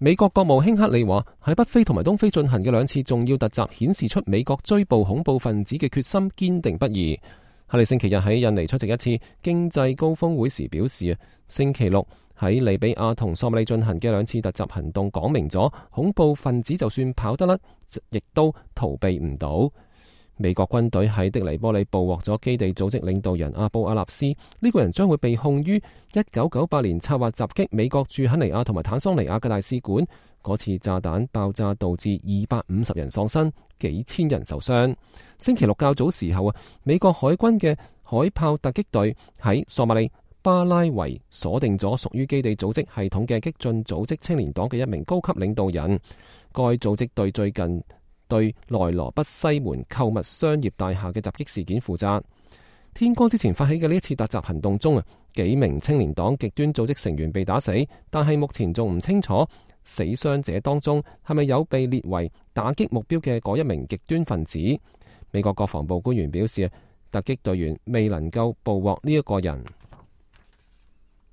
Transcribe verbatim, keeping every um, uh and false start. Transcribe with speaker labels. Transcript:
Speaker 1: 美國國務卿克里話，喺北非同埋東非進行嘅兩次重要突襲，顯示出美國追捕恐怖分子嘅決心堅定不移。克里星期日喺印尼出席一次經濟高峰會時表示，星期六喺利比亞同索馬里進行嘅兩次突襲行動，講明咗恐怖分子就算跑得甩，亦都逃避唔到。美國軍隊喺的黎波里捕獲咗基地組織領導人阿布阿納斯，呢、這個人將會被控於一九九八年策劃襲擊美國駐肯尼亞同埋坦桑尼亞嘅大使館。嗰次炸彈爆炸導致二百五十人喪生，幾千人受傷。星期六較早時候啊，美國海軍嘅海豹突擊隊喺索馬里巴拉維鎖定咗屬於基地組織系統嘅激進組織青年黨嘅一名高級領導人。該組織對最近對內羅畢西門購物商業大廈嘅襲擊事件負責。天光之前發起嘅呢一次突襲行動中啊，幾名青年黨極端組織成員被打死，但係目前仲唔清楚死傷者當中係咪有被列為打擊目標嘅嗰一名極端分子。美國國防部官員表示，突擊隊員未能夠捕獲呢一個人。